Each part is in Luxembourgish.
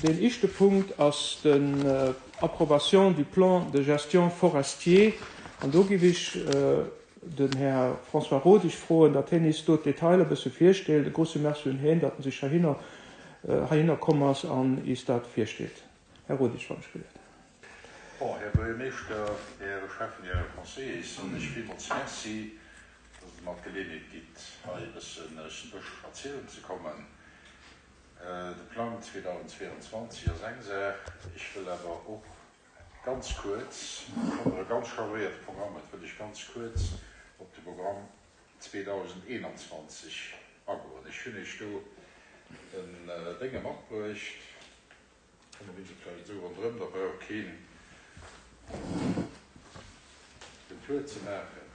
Deen éischte Punkt ass den Approbation du plan de gestion forestier. An do giff ech den Här François Rodig froen, datt hien is do d'Detailer e bësse virstellt. E grouse Merci un hien, datt en sech heihinner, heihinner komm ass an is dat virstellt. Här Rodig, wann ech gelift. Bon, Här Buergermeeschter, Här Schäffen, Här Conseiller, soen ech villmools Merci, datt Der mer d'Geleeënheet gitt, hei e bëssen aus dem Bësch erzielen ze kommen. De Plang 2022 ass eng Saach. Ech wëll awer och ganz kuerz, obschonn Der e ganz chargéierte Programm hutt, wëll ech ganz kuerz op de Programm 2021 agoen. Ech hunn Iech do en Dénge matbruecht. Komme mir se vläicht esou ronderëm, da brauch keen den Tour ze maachen.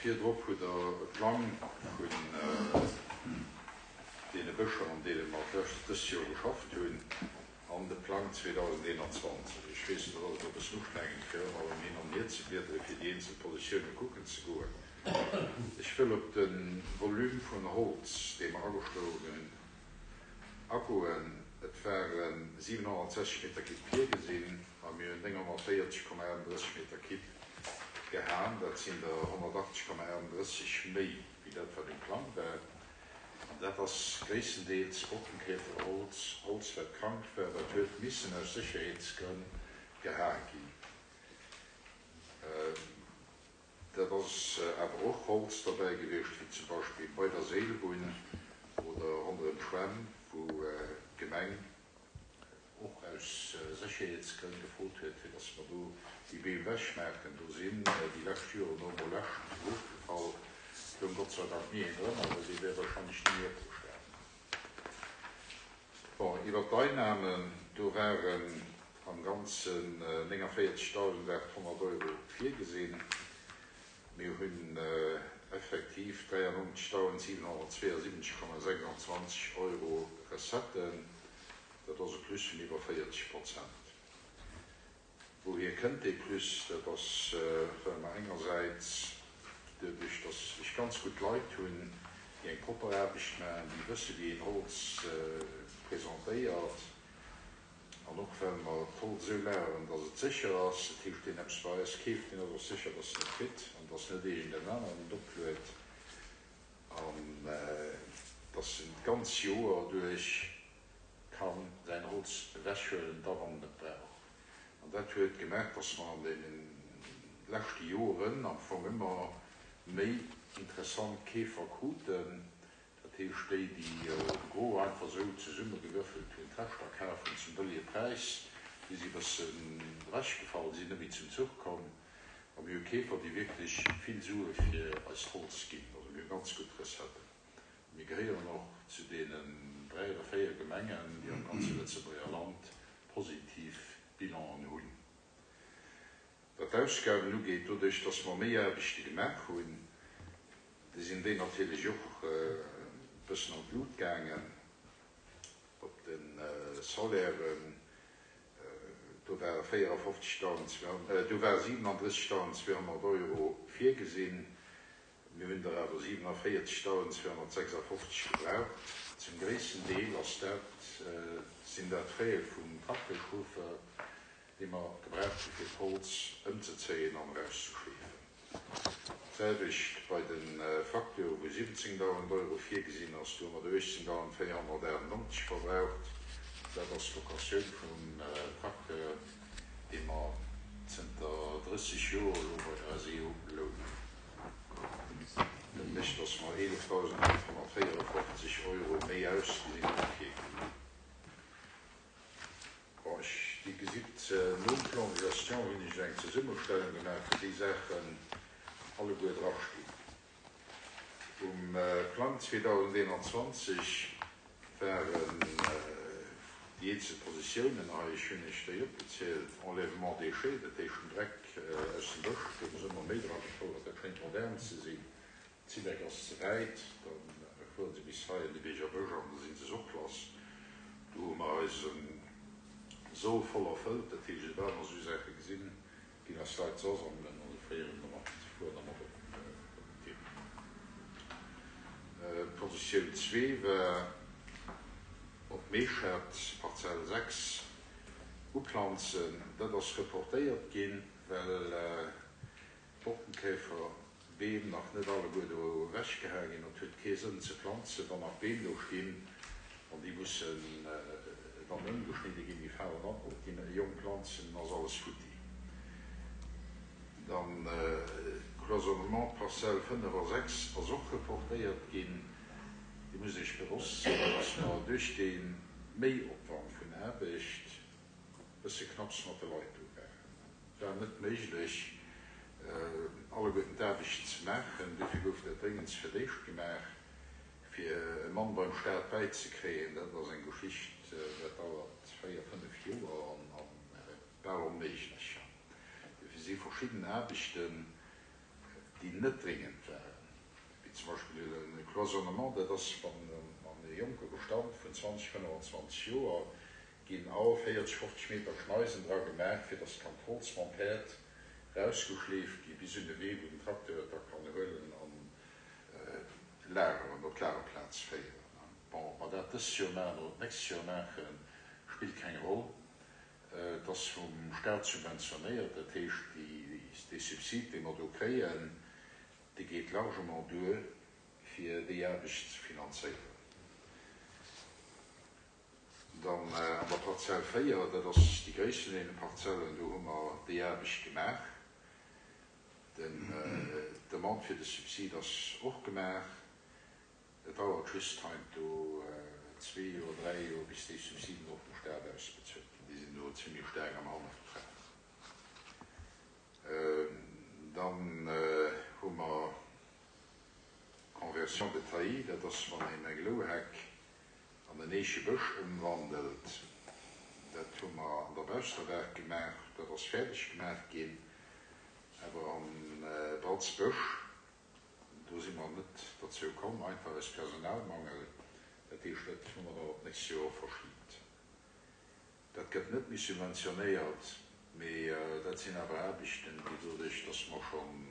Virdrop hutt Der e Plang vun deene Bëscher, an deene mer dëst Joer geschafft hunn, an de Plang 2021. Ech weess, dat ass elo e bëssen ustrengend, fir ëmmer erëm hin an hier ze bliedere fir déi eenzel Positioune kucken ze goen. Ech wëll op de Volume vun Holz, dee mer ageschloen hunn, agoen. Et ware 760 Meter Kibb virgesinn a mir hunn 940,38 Meter Kibb gehaen. Dat sinn der 180,38 méi wéi dat, wat um Plang war. An dat ass gréisstendeels Brockenkäferholz, Holz, wat krank war, wat huet missen aus Sécherheetsgrënn gehae ginn. Dat ass awer och Holz derbäi gewiescht, wéi zum Beispill bei der Seelbunn oder ronderëm d'Schwämm, wou d'Gemeng och aus Sécherheetsgrënn gefrot huet, fir datt mer do déi Beem ewechmaachen. Do sinn déi lescht Joren no emol Äscht erofgefall. Et loung Gott sei Dank ni een drënner, well dee wär warscheinlech ni méi opgestanen. Bon, iwwert d'Einnahmen, do waren am Ganzen 49.800 Euro virgesinn. Mir hunn effektiv 93.772,26 Euro Recetten. Dat ass e Plus vun iwwer 40 Prozent. Wouhier kënnt dee Plus? Dat ass, well mer engersäits, doduerch dass ech ganz gutt Leit hunn, déi eng propper Aarbecht maachen, déi wësse wéi een Holz presentéiert, an och well mer d'Holz esou lageren, dass et sécher ass, dat heescht, deen eppes bei eis keeft, deen ass och sécher, dass en et kritt an dass net iergend en aneren et opluet, an dass en d'ganz Joer duerch ka säin Holz ewechhuelen, da wann en et brauch. An dat huet gemaach, dass mer an deene leschte Joren am Fong ëmmer méi interessant Keefer kruten, dat heescht déi, déi de Gros einfach esou zesummegewürfelt hunn, d'Reschter kaf hunn zum bëllege Präis, déi si e bëssen ewechgefall, déi sinn net méi zum Zuch komm. A mir hu Keefer, déi wierklech vill Sue fir eist Holz ginn. Also mir hu ganz gutt Recetten. Mir gehéieren och zu deenen 3 oder 4 Gemengen, déi am ganze Lëtzebuerger Land positiv Bilanen hunn. Wat d'Ausgaben ugeet, doduerch dass mer méi Aarbechte gemaach hunn, sinn déi natierlech och e bëssen an d'Lut gaangen. Op de Salairen, do ware 54.200, do ware 37.200 Euro virgesinn, Mir hunn der awer 47.256 gebraucht. Zum gréissten Deel ass dat, sinn dat Frais vum Tracteur-Chauffeur, dee mer gebraucht hu fir d'Holz ëmzezéien an erauszeschleefen. D'selwecht bei de Facteuren, wou 17.000 Euro virgesinn ass, do hu mer der 18.498 verbraucht. Dat ass d'Locatioun vum Tracteur, dee mer zënter 30 Joer elo bei der SEO lounen. Dat mécht, dass mer 11.554 Euro méi ausgi sinn wéi virginn. Bon, ech, Dir gesitt, nom Plan de gestion hunn ech eng Zesummestellung gemaach, wou déi Saachen alleguer drastinn. Um Plang 2021 waren déi. Déi eenzel Positiounen hei, ech hunn Iech déi opgezielt, Enlèvement déchets, dat heescht den Dreck aus dem Bësch, do hu se ëmmer méi dra gefouert, dat schéngt modern ze sinn. D'Zilek ass ze wäit, da fuere se bis hei an de Bierger Bësch an da si se och lass. Do hu mer eise Soll voll erfëllt, dat heescht, esoubal mer esou Saache gesinn, ginn eis Leit se asammelen a se féieren dermat, fueren dermat op den Terrain. D'Positioun zwee war op Meeschert, Parzell 6, uplanzen. Dat ass reportéiert ginn, well d'Borkenkäfer Beem nach net alleguer do ewechgehae ginn. Et huet kee Sënn ze planzen, wann nach Beem do stinn an déi mussen dann ëmgeschnidde ginn. Déi falen dann op déi jonk Planzen, dann ass alles futti. Dann Cloisonnement Parzell 5 a 6 ass och reportéiert ginn. Dir musst Iech bewosst sinn, dass mer duerch dee Méiopwand vun Aarbecht e bësse knapps mat de Leit do waren. Et war net méiglech, alleguerten d'Aarbecht ze maachen. Dofir gouf dat dréngendst fir d'éischt gemaach, fir e Mann beim Staat bäizekréien. Dat ass eng Geschicht, dat dauert véier, fënnef Joer an bal onméiglech. Dofir si verschidden Aarbechten, déi net dréngend waren, wéi zum Beispill e Cloisonnement, dat ass, wann e jonke Bestand vun 20, 25 Joer ginn all 40, 50 Meter Schneisen dra gemaach, fir dass kann d'Holz mam Päerd rausgeschleeft gi bis un de Wee, wou den Tracteur et da kann huelen an lageren, op d'Lagerplaz féieren. Bon, ob mer dat dëst Joer maachen oder d'nächst Joer maachen, spillt keng Roll. Et ass vum Staat subventionéiert, dat heescht, dee Subsid, dee mer do kréien, dee geet largement duer, fir déi Aarbecht ze finanzéieren. Dann an der Parzell 4, dat ass déi gréisst vun deene Parzellen, do hu mer déi Aarbecht gemaach. D'Demande fir de Subsid ass och gemaach. Et dauert just heiansdo zwee Joer, dräi Joer, bis déi Subsiden och vum Staat ausbezuelt ginn. Déi sinn do zimlech staark am Hannertref. Dann hu mer d'Conversion de taillis, dat ass wann een eng Louheck an en Eechebësch ëmwandelt. Dat hu mer an der Bausterwerk gemaach, dat ass fäerdeg gemaach ginn, awer am Bratzbësch, do si mer net derzou komm, einfach aus Personalmangel. Dat heescht, dat hu mer dann op d'nächst Joer verschibt. Dat gëtt net méi subventionéiert, mee dat sinn awer Aarbechten, déi doduerch, dass mer schonn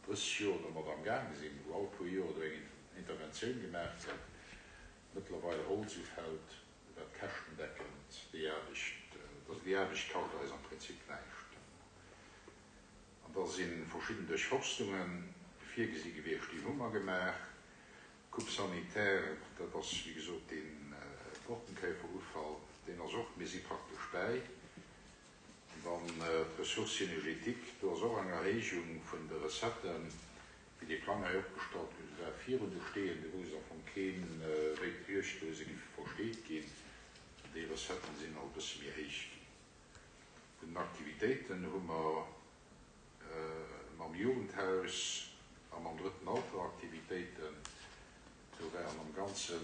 30 Joer domat amgaang sinn, wou all puer Joer do eng Interventioun gemaach gëtt, mëttlerweil Holz ufält, wat käschtendeckend déi Aarbecht, also déi Aarbecht kascht eis am Prinzip näischt. An da si verschidden Duerchforstunge virgesi gewiescht, déi hu mer gemaach. Coupe sanitaire, dat ass wéi gesot dee Borkenkäferufall, deen ass och, mir si praktesch bäi. An dann d'Ressources énergétiques, do ass och eng Erhéijung vun de Recetten, Wéi dee Plang hei opgestallt gouf, war virun de Steeën, do wousst am Fong keen, wéi d'Juegddose giffe versteet ginn. Déi Recetten sinn alt e bësse méi héich ginn. Vun den Aktivitéiten hu mer mam Jugendhaus a mam Drëtten Alter Aktivitéiten. Do waren am Ganze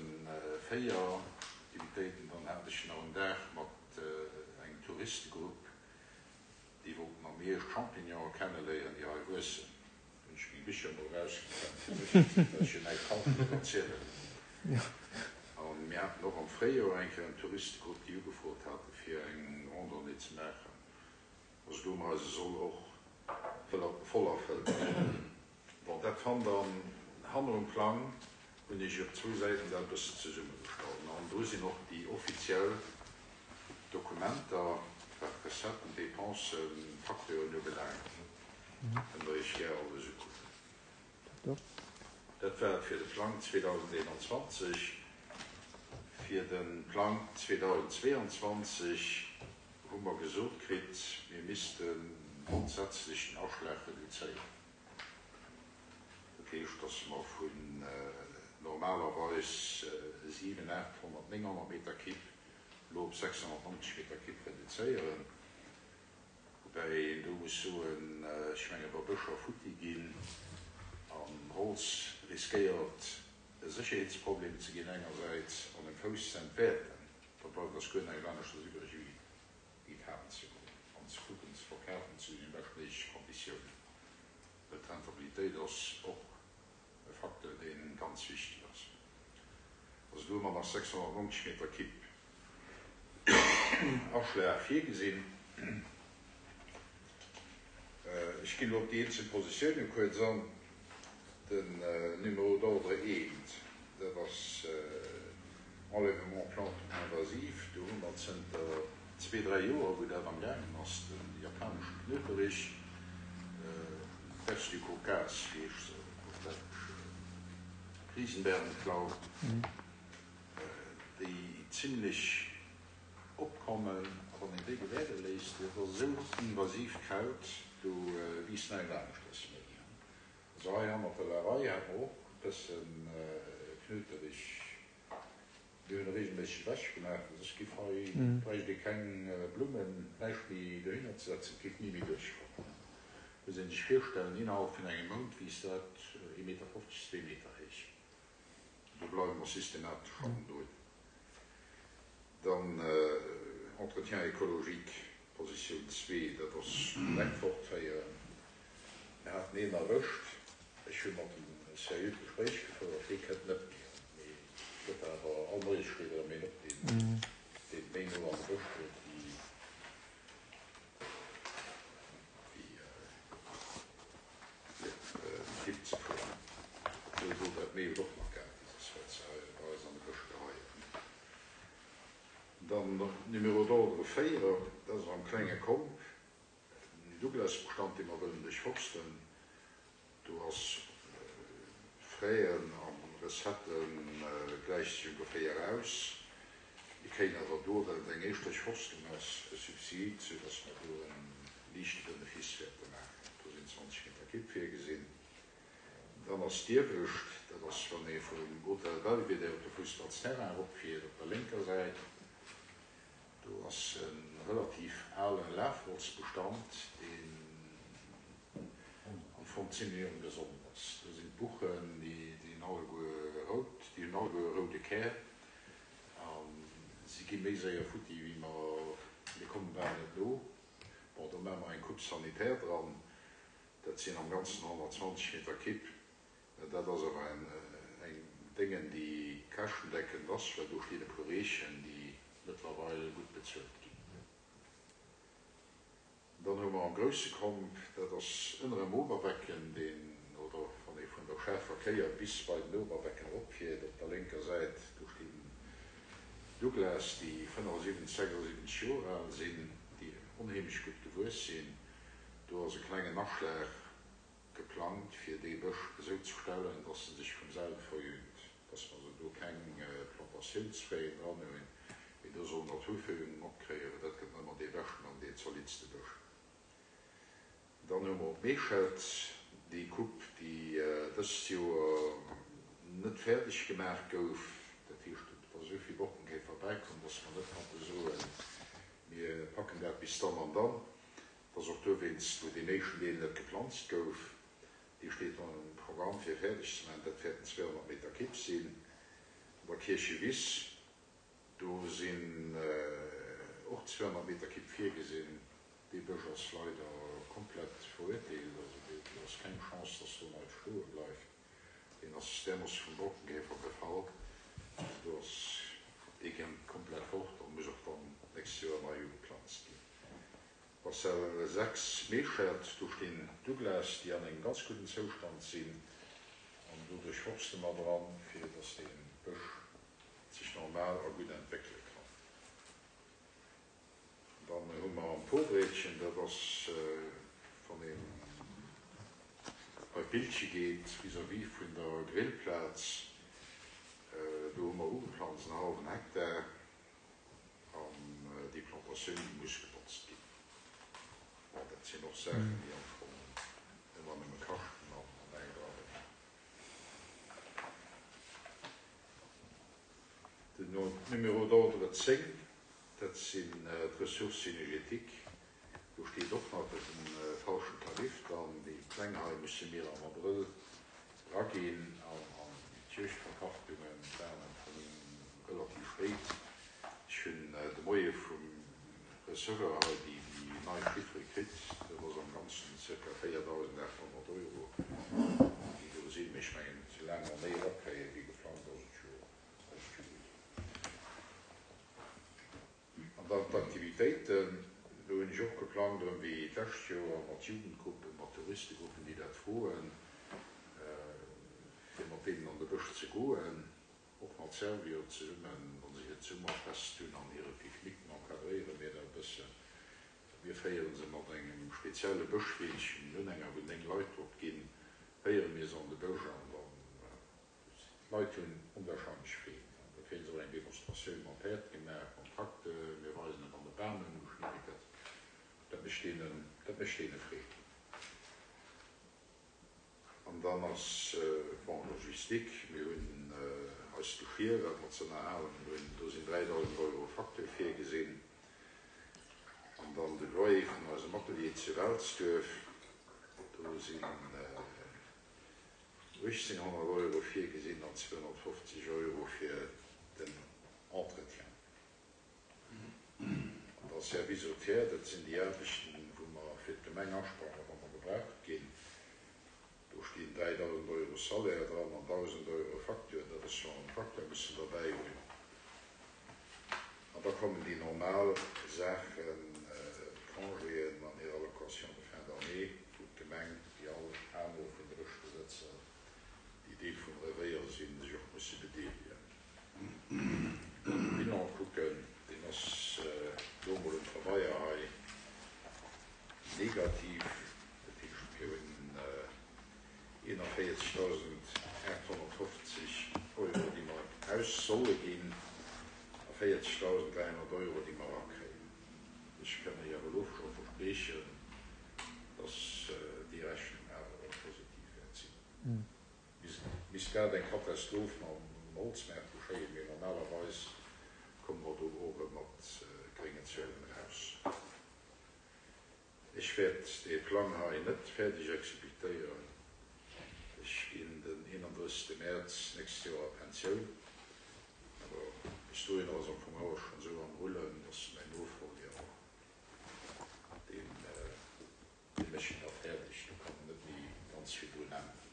4 Aktivitéiten. Dann hat ech nach en Dag mat engem Touristegrupp, déi wollten am Hierscht Champignonen kenneléieren, déi hei wuessen. Hunn ech meng Bicher mol erausgekramt fir mech, well ech jo näischt Falsches erzielen. A mir haten och am Fréijoer eng Kéier en Touristegrupp, déi ugefrot hate fir eng Randonnée ze maachen. Also do hu mer eise Soll och voll erfëllt. Bon, dat fannt Der hanner um Plang, hunn ech op zwou Säiten dat e bëssen zesummegestallt. An do sinn och déi offiziell Dokumenter, wat d'Recetten, d'Dépensen, d'Facturen ubelaangt. Kënnt der iech gär alles ukucken. Dat war et fir de Plang 2021. Fir de Plang 2022 hu mer gesot kritt, mir misste grondsätzlech den Aschlag reduzéieren. Dat heescht, dass mer vun normalerweis 7, 800, 900 Meter Kibb elo op 690 Meter Kibb reduzéieren. Woubäi een do muss soen, ech menge wa Bëscher futti ginn an Holz riskéiert e Sécherheetsproblem ze ginn engersäits an dem Fouss ze entwäerten. Da bleift eis guer näischt aneschters iwwreg wéi déi kafen ze goen an ze kucken ze verkafen zu den beschtméigleche Konditiounen, well d'Rentabilitéit ass och e Facteur dee ganz wichteg ass. Also do hu mer nach 690 Meter Kipp Aschlag virgesinn. Ech ginn elo op déi eenzel Positioune kuerz an. Den Numéro d'ordre eent, dat ass Enlèvement plantes invasives. Do hu mer zënter zwee, dräi Joer, wou dat amgaangen ass, de japaneschen Knöterich, Perce du Caucase heescht se op Däitsch, Riesenbärenklau, déi zimlech opkommen. A wann een déi gewäerde léisst, dat ass esou invasiivt Kraut, do wiisst näischt aneschters méi. Also hei hannert der Larei hat mer och e bëssen Knöterich. Mir hunn e regelméisseg ewech gemaach, well soss giff hei, bräicht ee keng Blummen, näischt méi dohinner ze setzen, et géif ni méi duerchkommen. Muss een sech virstellen, innerhalb vun engem Mount wiisst dat ee Meter 50, zwee Meter héich. Do bleiwe mer systematesch hannendrun. Dann Entretien écologique, Positioun zwee, dat ass Dreck fortféieren. Mir haten een erwëscht, ech hu mat em e seriöt Gespréich gefouert, dee kënnt net méi. Mee et gëtt awer, all Moies steet erëm een op, deen deen méi no an de Bësch huet wéi wéi fir op den Tipp ze fueren. Obwuel do dat Mehl och nach gratis ass, wat se hei bei eis an de Bësch geheien. Dann Numéro d'ordre 4, dat ass am klenge Komp, den Douglasbestand, dee mer wëllen duerchforsten. Do ass Fräen a Recettë gläicht sech ongeféier aus. Mir kréien awer do, well et eng éischt Duerchforstung ass, e Subsid, soudass mer do e liichte Benefice wäerte maachen. Do sinn 20 Meter Kipp virgesinn. Dann ass d'Iewescht, dat ass wann ee vum Hotel Belvedere op de Fussballsterrain eropfiert, op der lénker Säit. Do ass e relativ ale Lafholzbestand, deen am Fong zimlech ongesond ass. Do sinn d'Buchen, déi sinn alleguer rout, déi hunn alleguer e roude Kär a si gi méi séier futti wéi mer, mir komme bal net no. Bon, do maache mer eng Coupe sanitaire dran, dat sinn am Ganzen 120 Meter Kipp. Dat ass awer eng Déngen, déi käschtendeckend ass, well do stinn e puer Reechen, déi mëttlerweil gutt bezuelt ginn. Dann hu mer am grousse Komp, dat ass ënnerem Oberbecken, deen, oder wann ee vun der Schaarfer Kéier bis bei den Oberbecken eropfiert, op der lénker Säit, do stinn Douglas, déi 75, 76 Joer al sinn, déi onheemlech gutt gewuess sinn. Do ass e klengen Aschlag Geplangt fir dee Bësch esou ze stellen, dass en sech vum selwe verjüngt, dass mer also do keng Plantatiounsfraien dran hunn, mee do soll Naturverjüngung opkréien, well dat gëtt ëmmer dee beschten an deen zoliddste Bësch. Dann hu mer op Meeschelt déi Coupe, déi dëst Joer net fäerdeg gemaach gouf. Dat heescht, et ass esou vill Borkenkäfer bäikomm, dass mer net konnte soen, mir packen dat bis dann an dann. Et ass och dowéinst, wou deen éischten Deel net geplanzt gouf. Dee steet am Programm fir fäerdeg ze maachen. Dat wäerten 200 Meter Kibb sinn. An der Kierchewiss, do sinn och 200 Meter Kibb virgesinn. Dee Bësch ass leider komplett verurteelt. Also do ass keng Chance, dass do näischt stoe bleift. Deen ass därmoosse vum Borkenkäfer befall. Also do ass dee komplett fort a muss och dann d'nächst Joer nei ugeplanzt ginn. Parzell 6, Meeschert, do stinn Douglas, déi an engem ganz gudden Zoustand sinn, an do duerchforste mer dran, fir dass dee Bësch sech normal a gutt entwéckele kann. Dann hu mer am Pobreetchen, dat ass wann een bei d'Billche geet, vis-à-vis vun der Grillplaz, do hu mer ugeplanzt en hallwen Hektar. An déi Plantatioun, déi muss gebotzt ginn. Bon, dat sinn och Saachen, déi am Fong ëmmer nëmme kaschten an näischt abréngen. Den Numéro d'ordre 10, dat sinn d'Ressources énergétiques. Do steet och nach de falschen Tarif dran. Déi Pläng hei musse mir am Abrëll eraginn an d'Juegdverpachtungen waren am Fong relativ spéit. Ech hunn de Moie vum Receveur hei déi nei Chiffere kritt. Dat ass am Ganzen zirka 4.800 Euro, déi do sinn. Mee ech mengen, soulaang mer méi erakréien, wéi geplangt, ass et jo, ass et jo gutt. An dann d'Aktivitéiten, do hunn ech och geplangt, erëm wéi d'lescht Joer, mat Jugendgruppen, mat Touristegruppen, déi dat froen, fir mat deenen an de Bësch ze goen, och mat Servior zesummen, wa se hiert Summerfest hunn an hire Pique-nique encadréiere mir dat e bëssen. Mir féiere se mat engem spezielle Bëschweechen, en Unhänger, wou 9 Leit drop ginn, féiere mir se an de Bësch an dann D'Leit hunn onwahrscheinlech Freed an da kréie se och eng Demonstratioun mam Päerd gemaach, mam Tracteur, mir weisen et wann de Bam ëmgeschnidde gëtt. Dat mécht deenen, dat mécht deene Freed. An dann ass, bon, Logistik, mir hunn eist Geschier, wat mer ze ënnerhalen hunn, do sinn 3.000 Euro Facture virgesinn. An dann de Loyer vun eisem Atelier zu Welsduerf, do sinn 1.800 Euro virgesinn an 250 Euro fir den Entretien. An da Service au tiers, dat sinn déi Aarbechten, wou mer fir d'Gemeng asprangen, wa mer gebraucht ginn. Do stinn 3.000 Euro Salaire dran an 1.000 Euro Facture. Dat ass, wa mer den Tracteur mussen derbäi hunn. An da kommen déi normal Saachen, d'Congéen an hir Allocation de fin d'année, wou d'Gemeng, wéi all aner vun de Bëschbesëtzer, déi Deel vum Revéier sinn, sech och musse bedeelegen. Wann de Bilan kucken, deen ass elo emol um Pabeier hei negativ, dat heescht mir hunn 41.850 Euro, déi mer aus solle ginn, a 40.300 Euro, déi mer erakréien. Ech kann Iech awer elo scho verspriechen, dass déi Rechnung awer erëm positiv wäert sinn. Misst grad eng Katastroph mam Holzmaart geschéien, mee normalerweis komme mer do och erëm mat gréngen Zuelen eraus. Ech wäert dee Plang hei net fäerdeg exekutéieren. Ech ginn den 31. Mäerz nächst Joer a Pensioun. Awer bis dohinner ass am Fong alles schonn esou am Rullen, dass mäin Nofolger, deen, dee mécht en da fäerdeg. Do kann en net méi ganz vill drun änneren.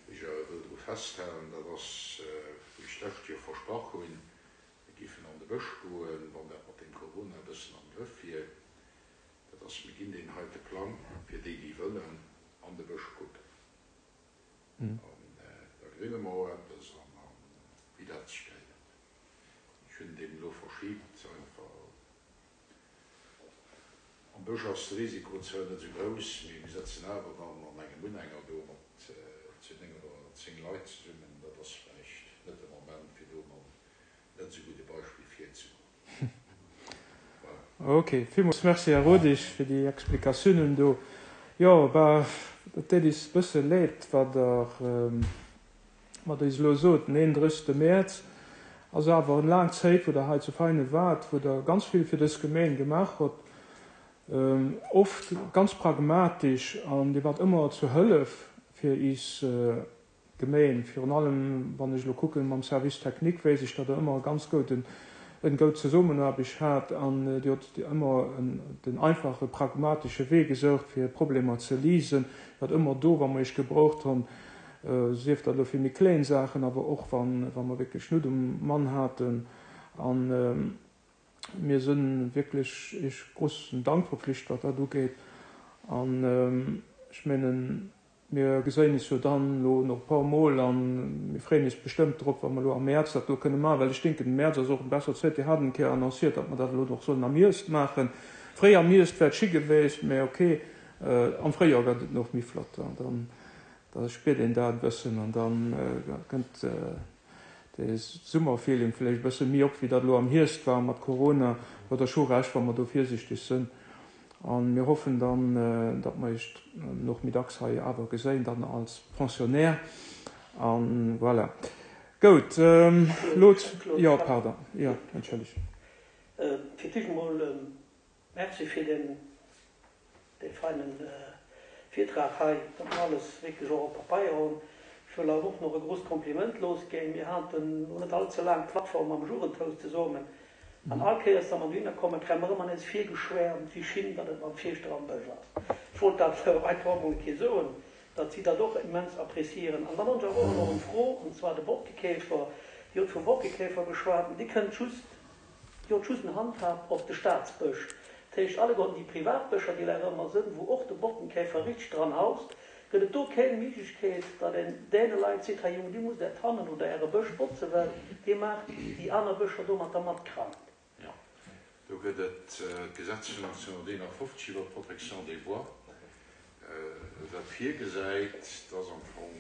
Wéi ech awer wëll dru festhalen, dat ass, wou ech d'lescht Joer versprach hunn, Mir géifen an de Bësch goen, wann dat mat deem Corona e bëssen am Grëff wier. Dat ass, mir ginn deen heite Plang fir déi, déi wëllen an de Bësch kucken. An da grille mer och eppes an a wéi dat sech gehéiert. Ech hunn deen elo verschibt, einfach. Am Bësch ass de Risiko zwar net esou grouss, mee mir sëtzen awer dann an engem Unhänger do mat zu 9 oder 10 Leit zesummen. Dat ass vläicht net de Moment, fir do mam net esou gudde Beispill virzegoen. Voilà. Ok, villmools Merci, Här Rodig, fir déi Explikatiounen do. Jo, bah, et deet is bësse leed, wat Der Wat Der eis elo sot, den 31. Mäerz ass awer en laang Zéit, wou Der hei zu Veinen waart, wou Der ganz vill fir dës Gemeen gemaach hutt, oft ganz pragmatisch, an Dir waart ëmmer zur Hëllef fir is Gemeen. Virun allem, wann ech elo kucken, mam Service technique wéisst ech, datt Der ëmmer e ganz gouden, en goud Zesummenaarbecht hat an Dir hutt ëmmer den einfache, pragmatesche Wee gesoucht, fir Problemer ze liesen. Dir waart ëmmer do, wa mer Iech gebraucht hunn. Sief dat elo fir méi kléin Saachen, awer och wa mer wierklech Nout um Mann haten. A mir si wierklech Iech grossen Dank verpflicht, wat dat ugeet. An ech mengen, mir geséien is jo dann elo nach e paar Mol a mir freeën is bestëmmt drop, wa mer elo am Mäerz dat do kënne maachen, well ech denken, de Mäerz ass och eng besser Zäit. Dir hat eng Kéier annonciert, datt mer dat elo och sollen am Hierscht maachen. Fréi am Hierscht wär et schi geweest, mä okay, am Fréijoer gëtt et nach méi flott. Dann Da spiert een dat e bëssen an da kënnt de Summerfeeling vläicht e bësse méi op, wéi dat elo am Hierscht war mat Corona. Huet Der scho Recht, wa mer do virsiichteg sënn. A mir hoffen dann, datt mer Iech och méi dacks hei awer geséien, dann als Pensionnaire. A voilà. Goud, elo, jo, pardon, jo, entschëllegt. Fir d'éischt emol Merci fir deen feinen Virtrag hei, datt mer alles wierklech och op Papeier hunn. Ech wëll awer och nach e grousst Kompliment losginn. Mir haten no net all ze laang d'Plattform am Jugendhaus zesummen. An all Kéiers, wa mer dohinner kommen, kréie mer ëmmer nees virgeschwäermt, wéi schin datt et mam Fierschter am Bësch ass. Ech wollt dat einfach och emol eng Kéier soen, datt si dat och immens appréciieren. An dann hunn ech awer och nach eng Fro, an zwar de Borkekäfer. Dir hutt vum Borkekäfer geschwat, mä dee kënnt just, Dir hutt just en Handhab op de Staatsbësch. Dat heescht, alleguerten déi Privatbëscher, déi leider ëmmer sënn, wou och de Borkenkäfer richteg dran haust, gëtt et do kéng Méiglechkeet, datt een däne Leit seet, hei Jungen, dir musst äert Hannen oder äre Bësch botzen, well dir maacht déi aner Bëscher domatter mat krank. Jo, do gëtt et d'Gesetz vun 1951 iwwer d'Protection des bois, wat virgesäit, dass am Fong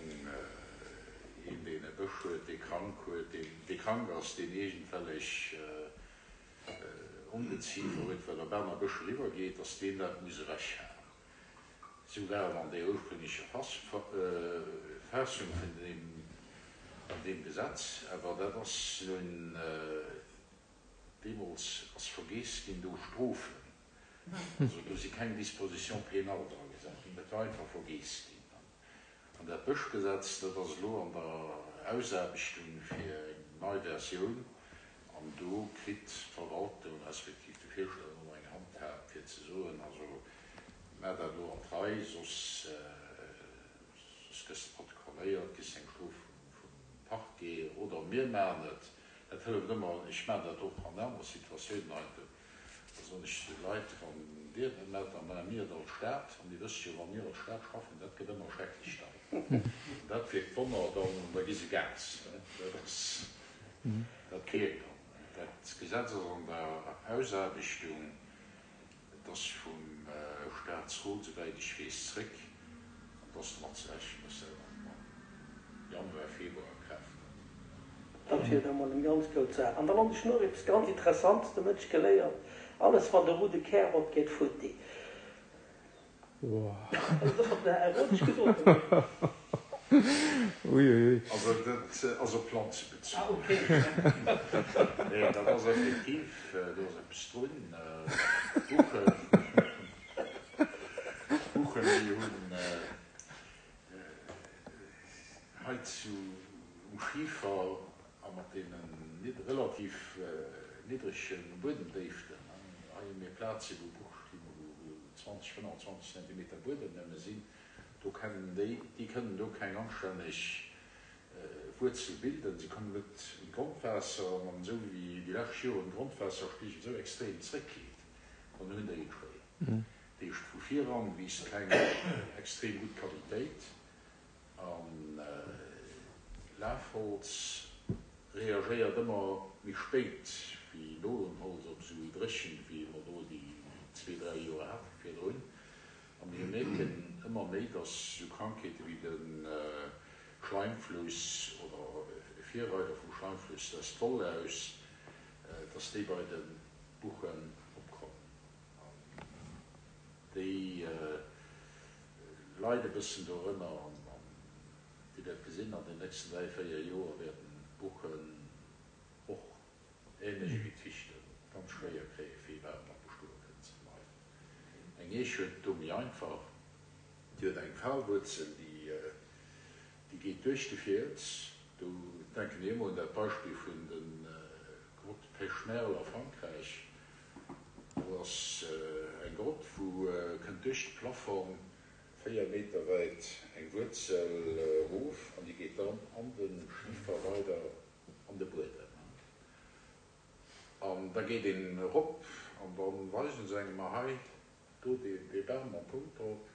een, deen e Bësch huet, dee krank huet, deen, dee krank ass, deen iergendwellech Ongeziefer huet, wat op aner Bëscher iwwergeet, dass deen dat muss ewechhaen. Esou war et an där ursprünglecher Fassung vun deem, an deem Gesetz. Awer dat ass nun deemools ass vergeess ginn, do Strofen Also do si keng Dispositions pénales dra gesat ginn, dat war einfach vergeess ginn. An dat Bëschgesetz, dat ass elo an der Ausaarbechtung fir eng nei Versioun an do kritt d'Verwaltung respektiv de Fierschter dann och eng Handhab fir ze soen, also maach dat elo an d'Rei, soss soss gëss de protokolléiert, kriss eng Strof vum Parquet oder mir maachen et. Dat hëlleft ëmmer, ech maachen dat och an anere Situatiounen eigentlech. Da soen ech zu de Leit, Wann Dir et net maacht, da maache mir et als Stad. An Dir wësst jo, wa mir als Stad schaffen, dat gëtt ëmmer schrecklech deier. An dat wierkt Wonner, dann, da gi se Gas. Dat ass, dat wierkt dann. Dat Gesetz ass an der Ausaarbechtung. Et ass vum Staatsrot, souwäit ech weess, zréck. An et ass domat ze rechnen, dass dat am Januar, Februar a Kraaft trëtt. Dat wier da mol eng ganz goud Saach. An dann hunn ech nach eppes ganz Interessantes de Mëtteg geléiert, Alles wat e roude Kär huet, geet futti. Also dat wat den Här Rodesch gesot huet. Uiuiui. Also dat ass op Planze bezunn. Ah okay. Nee, dat ass effektiv, do ass eppes drun. D'Buchen, d'Buchen déi hunn hei zu um Schifer a mat deenen relativ niddrege Buedemdéiften, hei hu mir Plaze wou Buche stinn, wou 20, 25 Zentimeter Buedem nëmme sinn, do kennen déi, déi kënnen do keng anstänneg Wuerzel bilden, se kommen net un d'Grondwaasser an esou wéi déi lescht Joren d'Grondwaasserspigel esou extrem zréckgeet, dann hunn déi et schwéier. Dat heescht, vu viran wiisst keng extrem gutt Qualitéit an Lafholz reagéiert ëmmer méi spéit wéi Nolenholz op esou Dréchent wéi mer do déi zwee, dräi Joer hate virdrun. A mir mierken ëmmer méi, dass esou Krankheete wéi de Schleimfluss oder e Virreider vum Schleimfluss, dat ass d'Wollaus, dass déi bei de Buchen opkommen. An déi leide e bëssen dorënner. An Dir wäert gesinn, an den nächsten dräi, véier Joer wäerten d'Buchen och, ähnlech ewéi d'Fichten, ganz schwéier kréien, fir iwwerhaapt nach bestoe kënnen ze bleiwen. Eng Eech huet et do méi einfach, déi huet eng Falwuerzel, déi geet duerch de Fiels. Do denken ech ëmmer un dat Beispill vun de Grotte Pech-Merle a Frankräich. Do ass eng Grott, wou kënnt duerch de Plafong 4 Meter wäit eng Wuerzel erof an déi geet dann an de Schifer weider an de Buedem. An da geet een erop an da weisen se engem, ma hei, do dee Bam mam Punkt drop,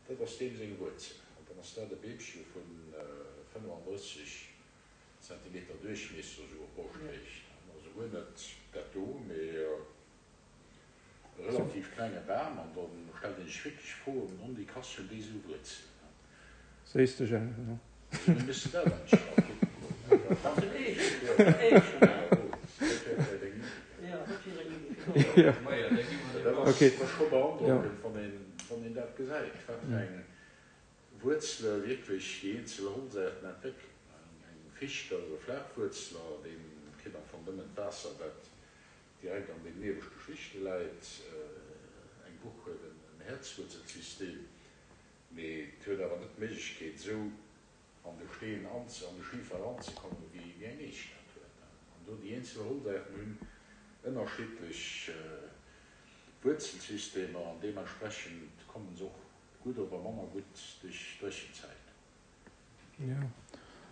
dat ass deem seng Wuerzel. An dann ass dat e Beemche vu 35 Zentimeter Duerchmiesser, esou op Broschthéicht. Also guer net dat do, mee e relativ klenge Bam. An da stellt ee sech wierklech d'Fro, Ondi, krass, hunn déi esou Wuerzelen? Sees de Jean? Also mir müssen dat eigentlech nach kucken goen. Dat ass en Eechen, en Eechen, ne? Dat wär vläicht eng Iddi. Jo, dat wier eng Iddi fir do. Majo, da gi mer Dat ass scho beandrockend, wann een, wann een dat gesäit, wat fir eng Wuerzele wierklech déi eenzel Holzaarten entwéckelen. Eng Ficht ass e Flaachwuerzler, dee kritt am Fong nëmmen d'Waasser, wat direkt an den ieweschte Schichte läit. Eng Buch huet en Häerzwuerzelsystem. Mee et huet awer net d'Méiglechkeet esou an de Steen an de Schifer eranzekommen, wéi eng Eech dat huet. An do déi eenzel Holzaarten hunn. Ënnerschiddlech Wuerzelsystemer an deementsprechend kommen se och gutt oder manner gutt duerch d'Dréchenzäit. Jo,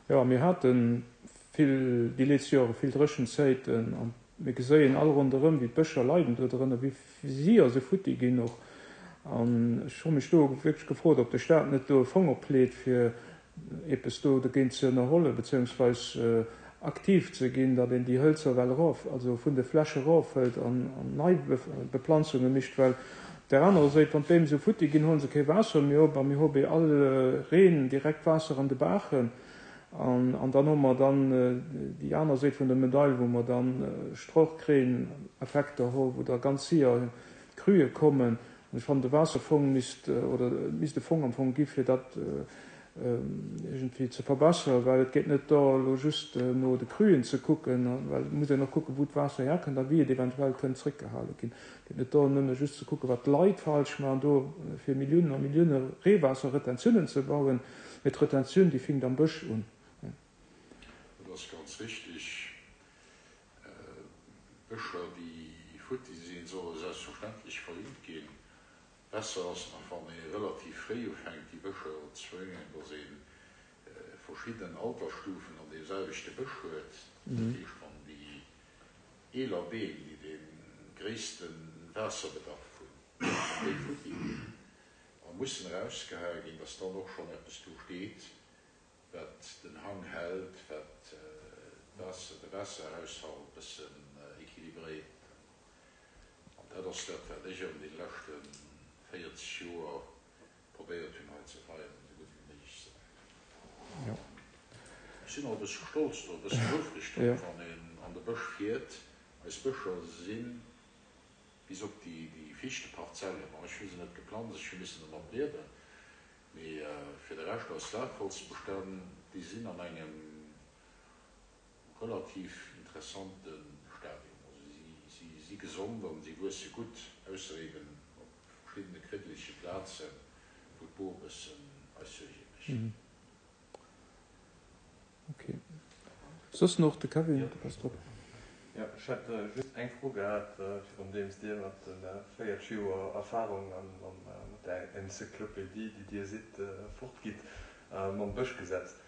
jo, mir hate vill déi letzte Jore vill Dréchenzäiten an mir geséien all ronderëm wéi d'Bëscher leiden do drënner, wéi séier se futti ginn och. An ech hu mech do wierklech gefrot, ob de Staat net do e Fong opleet fir eppes do dogéint ze ënnerhollen, beziehungsweis aktiv ze ginn, datt een déi Hëlzer well erof, also vun de Fläche erofhëlt an nei Beplanzunge mécht, well op där anerer Séit, wann d'Beem esou futti ginn, huele se kee Waasser méi op a mir hu bei all Reen direkt Waasser an de Baachen. An dann hu mer dann déi aner Séit vun der Medail, wou mer dann Strochkreen-Effekter hu, wou da ganz séier Crue kommen. An ech fannen, de Waasserfong misst, oder et misst e Fong am Fong gi fir dat iergendwéi ze verbesseren, well et geet net do elo just no de Cruen ze kucken, well et muss een och kucken, wou d'Waasser herkënnt a wéi et eventuell kënnt zréckgehale ginn. Et geet net do nëmme just ze kucken, wat d'Leit falsch maachen, do fir Milliounen a Millioune Reewaasserretentiounen ze bauen, mee d'Retentioun, déi finkt am Bësch un. Dat ass ganz richtig. Bëscher, déi futti sinn, solle selbstverständlech verjüngt ginn. Besser ass nach, wann ee relativ fréi ufänkt, déi Bëscher ze verjüngen, dass ee verschidden Altersstufen an deem selwechte Bësch huet. Dat heescht, wann déi eeler Beem, déi dee gréisste Waasserbedarf hunn, wann déi futti ginn a mussen erausgehae ginn, dass dann och schonn eppes do steet, wat den Hang hält, wat d'Waasser, de Waasserhaushalt e bëssen équilibréiert. An dat ass dat, wat ech an deene leschte 40 Joer probéiert hunn hei ze feieren, esou gutt wéi méiglech ze maachen. Ech sinn och e bësse stolz oder e bëssen houfreg drop, wann een an de Bësch fiert. Eis Bëscher si bis op déi Fichteparzellen, bon, ech hu se net geplanzt, ech hu missen dermat liewen, Mee fir de Rescht, eis Lafholzbestänn, déi sinn an engem relativ interessante Stadium. Also si si gesond an si wuesse gutt, ausser eben op verschiddene kriddelege Plazen, wou d'Bor e bëssen eis Suerge mécht. Ok. Soss nach de Kevin, du bass drop. Jo, ech hätt just eng Fro gehat, virundeems Dir mat de 40 Joer Erfahrung an mat där Enzyklopedie, déi Dir sidd, fortgitt, mam Bëschgesetz.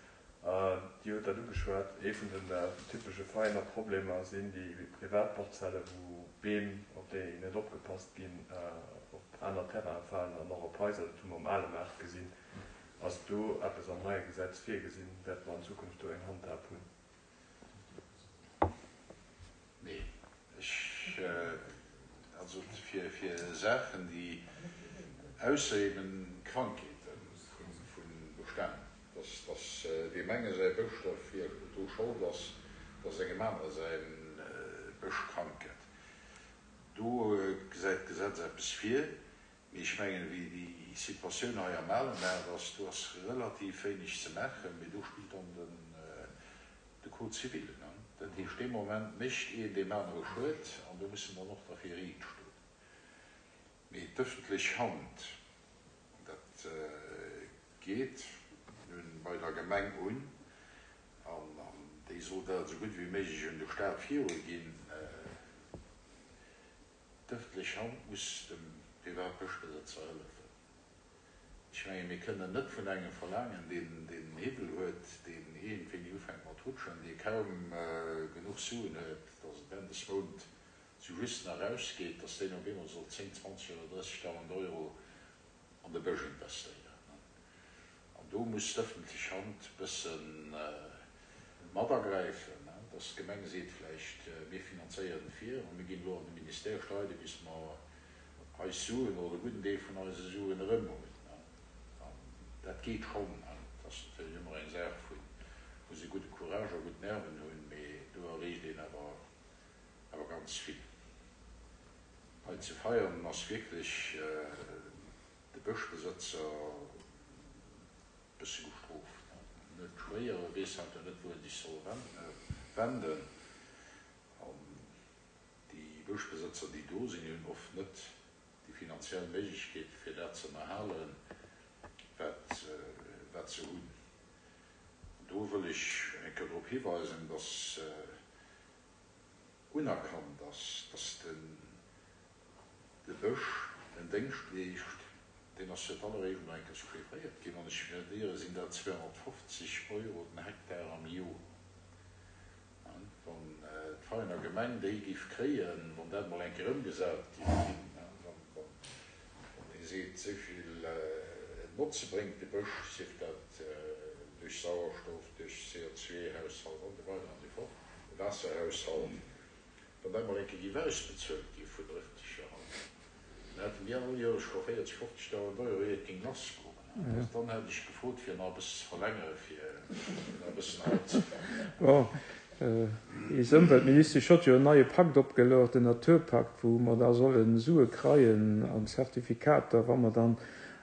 Dir hutt dat ugeschwat, ee vun den typesche Veiener Problemer sinn déi Privatparzelle wou Beem, op déi net opgepasst ginn, op aner Terraine falen an och op Haiser. Dat hu mer um Ale Maart gesinn. Ass do eppes am neie Gesetz virgesinn? Wäerte mer an Zukunft do eng Handhab hunn? Nee, ech, also fir, fir Saachen, déi, ausser eben Krankheete vu Bestänn, dass, dass deem enge säi Bësch derfir dru Schold ass, dass engem anere säi Bësch krank gëtt, do gesäit d'Gesetz eppes vir. Mee ech mengen, wéi déi Situatioun hei am Alenmaart ass, do ass relativ wéineg ze maachen. Mee do spillt dann den de Code civil. Dat heescht, dee Moment mécht een deem anere Schued an do muss en dann och derfir riicht stoen. Mee d'ëffentlech Hand, an dat geet nun bei der Gemeng un, an déi soll dat esou gutt wéi méiglech un de Stat viruginn, D'ëffentlech Hand muss dem Privatbëschbesëtzer hëllefen. Ech mengen, mir kënnen net vun engem verlaangen, deen en Hiwwel huet, deen iergendwéini ufänkt mat rutschen, dee kaum genuch Suen huet, datt et Enn des Mount sou just nach erausgeet, datt deen op eemol soll 10, 20 oder 30.000 Euro an de Bësch investéieren. An do muss d'ëffentlech Hand e bësse mat agräifen, dass d'Gemeng seet vläicht, mir finanzéieren et vir a mir ginn elo an de Ministère streiden, bis mer eis Suen oder e gudden Deel vun eise Suen erëm hunn. An dat geet schonn. Et ass natierlech ëmmer eng Saach vu muss ee gudde Courage a gutt Nerven hunn, mee do erreecht een awer awer ganz vill. Hei zu Veianen ass wierklech de Bëschbesëtzer bësse gestrooft. En huet schwéier, e weess heiansdo net, wou e sech soll wenden. An déi Bëschbesëtzer, déi do sinn, déi hunn oft net déi finanziell Méiglechkeete fir dat ze ënnerhalen, wat, wat se hunn. An do wëll ech eng Kéier drop hiweisen, dass. Unerkannt ass, dass de Bësch en Déngscht leescht, deen ass fir d'alleréischt emol eng Kéier chiffréiert ginn, wann ech mech net iere sinn dat 250 Euro den Hektar am Joer. Wann d'Vereiner Gemeng déi géif kréien, wann dat emol eng Kéier ëmgesat géif ginn, wann ee seet, esou vill Notze bréngt de Bësch, sief dat duerch Sauerstoff, duerch CO2-Haushalt an esou weider an esou fort, de Waasserhaushalt, wann dat emol eng Kéier géif ausbezuelt gi vun der ëffentlecher Hand, dann hätte mir all Joer scho 40, 50.000 Euro, ier et géing lassgoen. Dann hätt ech gefrot, fir nach e bëssen ze verlängere, fir nach e bëssen anzefänken. Bon, eis Ëmweltministesch hott jo en neie Pakt opgeluecht, den Naturpakt, wou mer da solle Sue kreien an Zertifikater, wa mer dann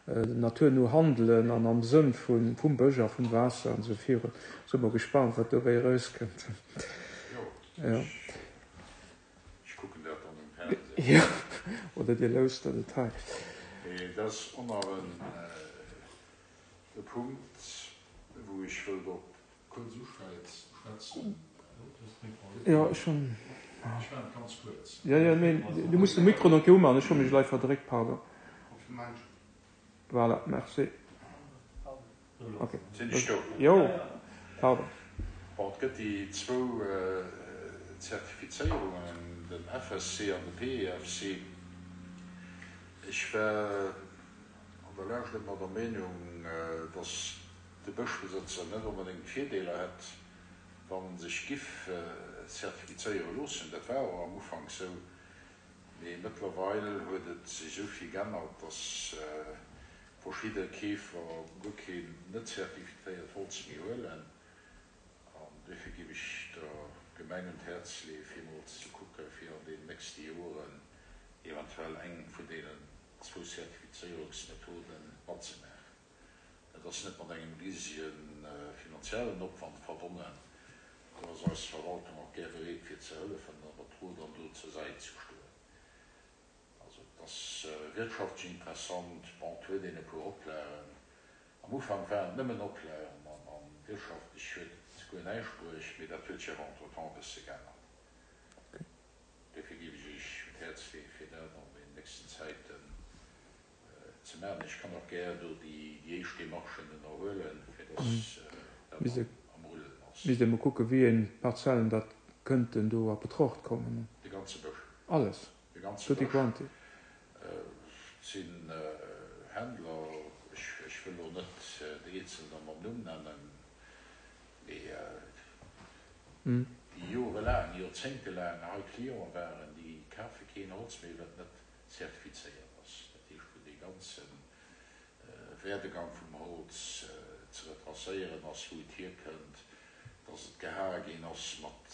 naturno handelen an am Sënn vum Bësch a vum Waasser an esou virun. Si mer gespannt, wat dobäi erauskënnt. Jo, ech kucken dat dann um Fernseh. Jo, oder Dir lauschtert et hei. Mee dat ass och nach e Punkt, wou ech wëllt drop kuerz uschwätzen. Jo, ech hunn. Ech maachen et ganz kuerz. Jo, jo, mee du muss de Mikro nach eng Kéier umaachen. Ech hu mech elei verdréckt, pardon. Voilà, merci. Ok. Sinn ech do? Jo, pardon. Bon, et gëtt déi zwou Zertifizéierungen, den FSC an de PEFC. Ech war an der Lescht ëmmer der Meenung, dass de Bëschbesëtzer net onbedéngt Virdeeler hätt, wann en sech giff zertifizéiere loossen. Dat war och am Ufank sou, mee mëttlerweil huet et sech esou vill g'ännert, dass verschidde Keefer guer keen net zertifizéiert Holz méi huelen. An duerfir giff ech der Gemeng un d'Häerz leeë fir emol ze kucke fir an deenen nächste Joren eventuell eng vun deenen zwou Zertifizéierungsmethoden matzemaachen. Dat ass net mat engem risege finanziellen Opwand verbonnen. Do ass eis Verwaltung och gär bereet fir ze hëllefen a mat Rot an Dot zur Säit ze stoen. Also et ass wirtschaftlech interessant. Bon, et huet een e puer Oplagen. Am Ufank waren et nëmmen Oplagen an wirtschaftlech huet et guer näischt bruecht, mee dat huet sech awer entretemps e bësse geännert. Dofir géif ech Iech un d'Häerz leeën, fir dat an den nächsten Zäiten ze maachen. Ech kann och gär do déi éischt Demarchen ënnerhuelen, fir dass dat am Rullen ass. Misst ee mol kucken, wéi eng Parzellen dat kënnten do a Betracht kommen. De ganze Bësch. Alles? De ganze Tutti Bësch. quanti? Et sinn Händler, ech wëll elo net déi Eenzelner mam Numm nennen, mee déi jorelaang, joerzéngtelaang hei Clienten waren, déi kafe keen Holz méi, wat net zertifizéiert ass, dat heescht wou dee ganze Werdegang vum Holz ze retracéieren ass, wou et hierkënnt, dass et gehae ginn ass mat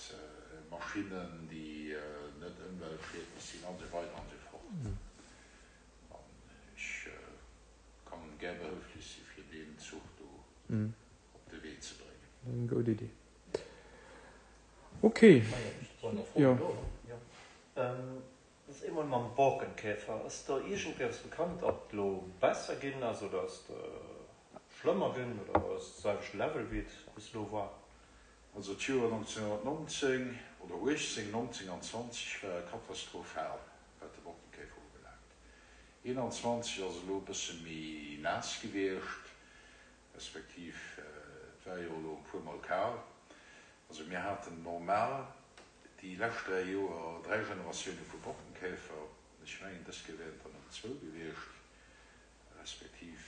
Maschinnen, déi net ëmweltschiedlech sinn, an esou weider an esou fort. An ech kann gär behëlflech si fir deen Zuch do op de Wee ze bréngen. Eng gutt Iddi. Okay. Jo. Dat ass eemol mam Borkenkäfer. Ass do iergendwéi eppes bekannt, ob et elo besser ginn ass oder ass et schlëmmer ginn oder ass et selwechte Level wéi et bis elo war? Also d'Joer 1919 oder 18, 19 an 20 ware katastrophal wat de Borkenkäfer ubelaangt. 21 ass elo e bësse méi naass gewiescht, respektiv et war jo elo e puer mol kal. Also mir haten normal déi lescht 3 Joer 3 Generatioune vu Borkenkäfer, ech mengen dës Kéier wären et der nëmmen zwou gewiescht, respektiv,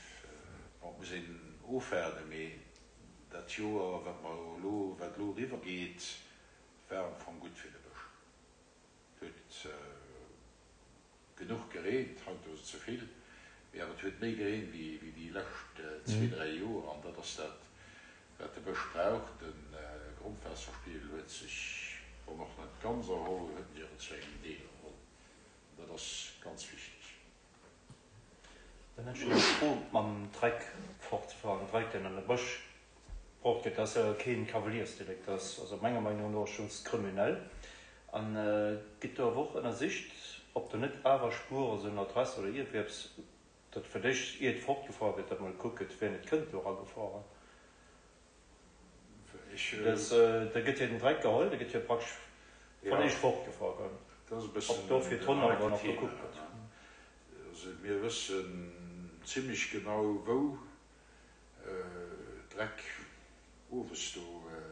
bon, et muss een ofwaarden, mee dat Joer wat mer elo, wat elo eriwwer geet, war am Fong gutt fir de Bësch. Et huet genuch gereent, haut ass et ze vill, mee awer et huet méi gereent wéi déi lescht zwee, dräi Joer an dat ass dat, wat de Bësch brauch. De Grondwaasserspiegel huet sech, wann och net ganz erholl, huet en sech awer zu engem Deel erholl an dat ass ganz wichteg. Dann hätt ech nach eng Fro mam Dreck fortzefahren, Dreck deen an de Bësch bruecht gëtt, dat ass jo keen Kavaliersdelikt, dat ass also menger Meinung no schonns kriminell. An gëtt do awer och ënnersicht, ob do net awer Spuere sinn, Adresse oder iergendwéi eppes, datt fir d'éischt ier et fortgefahr gëtt, datt mol gekuckt gëtt, wien et kënnt do eragefahren. Da gëtt jo den Dreck geholl, da gëtt jo praktesch. Wann eech fortgefuer gëtt, Dat ass e bëssen ob do fir en d'Honn awer heikelt nach Thema. gekuckt gëtt. Also mir wëssen zimlech genau wou Dreck owes do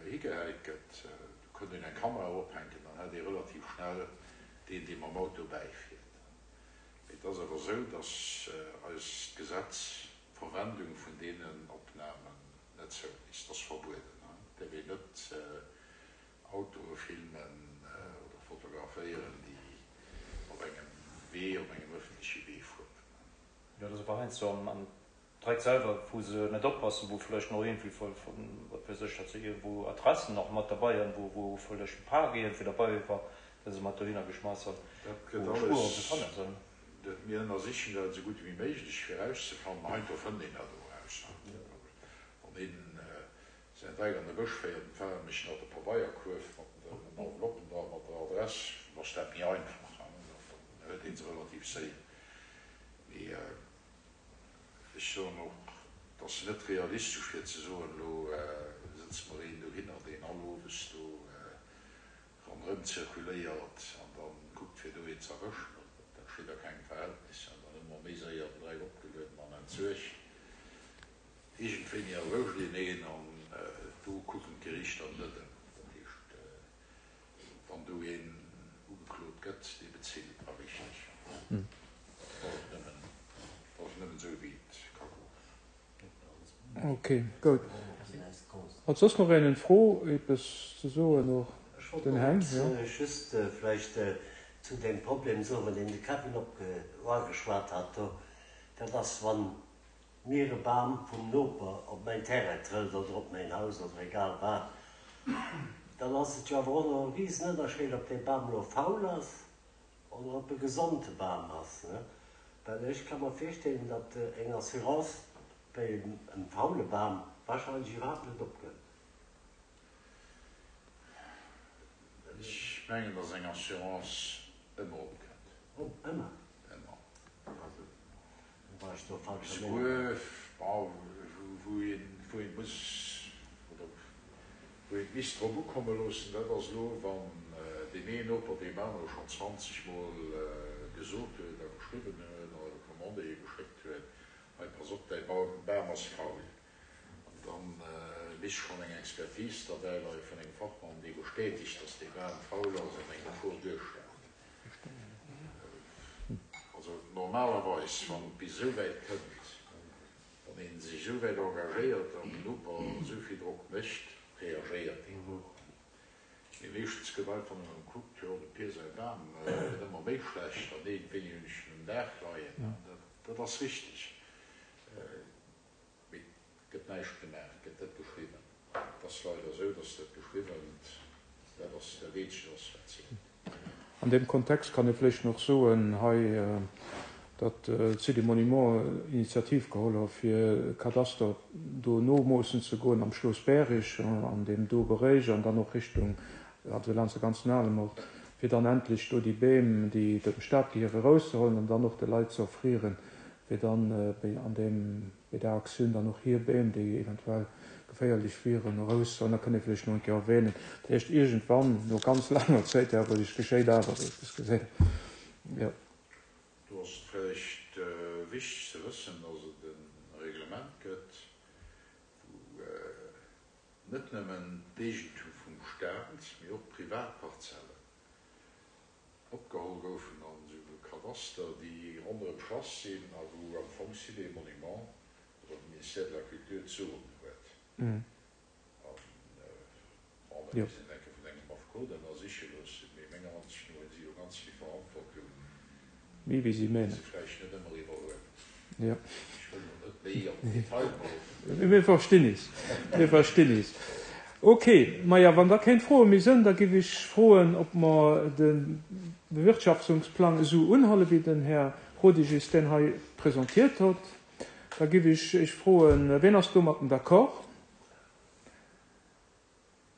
higehäit gëtt. Do kënnt een eng Kamera ophänken, dann hätt ee relativ schnell deen dee mam Auto bäifiert. Mee et ass awer esou, datt eist Gesetz d'Verwendung vun deenen Opnamen net zouléisst. Dat ass verbueden. Et däerf een net Autoe filmen oder fotograféieren, déi op engem Wee, op engem ëffentleche Wee fueren. Jo, dat ass awer heiansdo am Dreck selwer, wou se net oppassen, wou vläicht nach iergendwéi, wat weess ech, datt se iergendwou Adressen nach mat derbei hunn, wou wou vläicht e Pak iergendwéi derbei war, dee se mat dohinner geschmass hunn, Dat gëtt wou Spueren alles, ze fanne sinn. dat, mir ënnersichen dat esou gutt ewéi méiglech, fir erauszefannen. Heiansdo fënnt een dat och eraus. Wann een säin Dreck an de Bësch féiert, dann fale mech nach de Pabeierkuerf mat den Enveloppen dra mat der Adress, dann ass dat méi einfach, dann huet ee se relativ séier. Mee ech soen och, et ass net realistesch fir ze soen, elo sëtze mer een dohinner, deen all owes do ronderëm zirkuléiert an da kuckt fir do een ze erwëschen. Dat steet a kengem Verhältnis an dann hu mer méi séier den Dreck opgelueden an entsuergt. Iergendwéini erwëscht een een an do kucken d'Gerichter net ëmmer. Dat heescht, wann do een ugeklot gëtt, dee bezilt a richteg. Dat ass nëmmen, dat ass nëmmen esou wéi et ka goen. Ok, goud. Hat soss nach een en Fro, eppes ze soen? Och Ech wollt den och Heng, jo. just vläicht zu deem Problem soen, deen de Kevin op uageschwat hat do. Dat ass, wann mir e Bam vum Noper op mäin Terrain trëllt oder op mäin Haus oder egal wat, dann ass et jo awer och nach e Risenënnerscheed, ob dee Bam elo faul ass oder ob e gesonde Bam ass. Well ech ka mer virstellen, datt eng Assurance bei engem faule Bam wahrscheinlech iwwerhaapt net opgëtt. Ech mengen, datt eng Assurance ëmmer opkënnt. Ëmmer? Ëmmer. Also, da war ech do falscher Meenung. Souguer, bon, wou een, wou een muss, oder wou een et misst drop ukomme loossen, dat ass elo, wann deen een Noper deem anere schonn 20 Mol gesot huet a geschriwwen huet a Recommandéë geschéckt huet, hei, pass op, däi Bam ass faul. An da misst schonn eng Expertise derbäi leie vun engem Fachmann, dee bestätegt, dass dee Bam faul ass an eng Gefor duerstellt. Also normalerweis, wann et bis esou wäit kënnt, wann ee sech esou wäit engagéiert an den Noper esou vill Drock mécht, reagéiert deen och. Mee meeschtens gëtt einfach nëmmen gekuckt, jo de Pier säi Bam gëtt ëmmer méi schlecht an iergendwéini hunn ech en um Daach leien. Dat ass richteg. Mee et gëtt näischt gemaach, et gëtt net geschriwwen. Et ass leider esou, dass dat Geschriwwent, dat ass dat eenzegt ass, wat zielt. An deem Kontext kann ee vläicht nach soen hei, datt d'Site des Monuments Initiativ geholl hu fir Kadaster do nomoossen ze goen am Schloss Bärig an deem do Beréich an dann och Richtung, also laanscht de ganzen Alemort, fir dann endlech do déi Beem, déi dem Staat gehiere, erauszehuelen an dann och de Leit ze offrieren, fir dann an deem bei där Aktioun dann och hir Beem, déi eventuell geféierlech wieren, eraus. An da kënnt ee vläicht nach eng Kéier erwänen, dat heescht iergendwann, no ganz laanger Zäit, awer et geschéit awer eppes, geséit Der. Jo. Do ass et vläicht wichteg ze wëssen, dass et e Reglement gëtt, wou net nëmmen d'Eegentum vum Staat, mee och Privatparzellen Opgeholl goufen an esou Kadaster, déi ronderëm d'Schlass sinn a wou am Fong Sites et Monuments oder de Ministère de la Culture d'Soen huet. An, bon, dat misst een enke vun engem Affekot ënnersiche loossen, mee menger Ansicht no hunn si do ganz vill Verantwortung, Méi wéi si déi menen. se vläicht net ëmmer iwwerhuelen. Jo. Ech wëll elo net méi an den Detail goen. Mir verstinn is. Mir verstinn is. Ok. Maja, wann da keng Froe méi sënn, da giff ech froen, ob mer de Bewirtschaftungsplang esou unhuelen, wéi den Här Rodig is deen hei presentiert hott. Da giff ech Iech froen, wien ass domatten d'accord?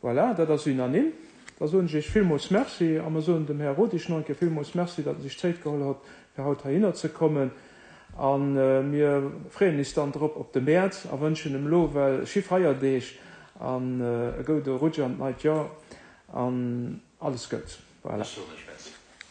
Voilà, dat ass unanime. Da soen ech Iech villmools Merci a mer soen dem Här Rodig nach eng Kéier villmools Merci, datt en sech d'Zéit geholl hott, fir haut heihinner ze kommen. A mir freeën is dann drop op de Mäerz a wënschen em elo well schi Feierdeeg an e goude Rutsch an d'neit Joer an alles Goud's. Voilà. Ech soen lech Merci.